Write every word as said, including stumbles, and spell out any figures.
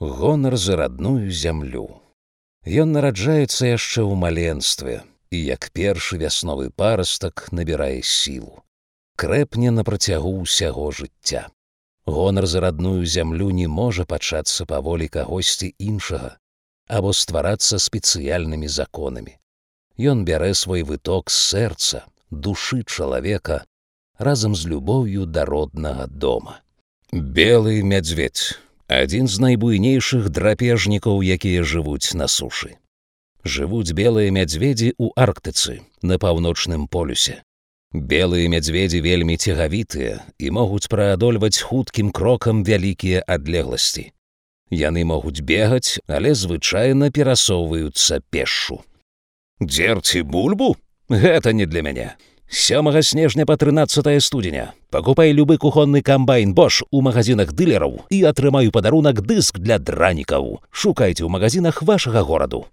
Гонар за радную зямлю. Ён нараджаецца яшчэ ў маленстве, і як першы вясновы парастак набірае сілу. Крэпне на працягу ўсяго жыцця. Гонар за радную зямлю не можа пачацца па волі кагосьці іншага або стварацца спецыяльнымі законамі. Ён бярэ свой выток з сэрца, душы чалавека разам з любоўю да роднага дома. Белы мядзведь – адзін з найбуйнейшых драпежнікаў, якія жывуць на сушы. Жывуць белыя мядзведзі ў Арктыцы, на паўночным полюсе. Белыя мядзведзі вельмі цягавітыя і могуць праадольваць хуткім крокам вялікія адлегласці. Яны могуць бегаць, але звычайна перасоўваюцца пешшу. Дзерці бульбу? Гэта не для мяне. сёмага снежня па трынаццатае студзеня. Пакупай любы кухонны камбайн Bosch у магазинах дылераў і атрымаю падарунак дыск для дранікаў. Шукайце ў магазинах вашага гораду.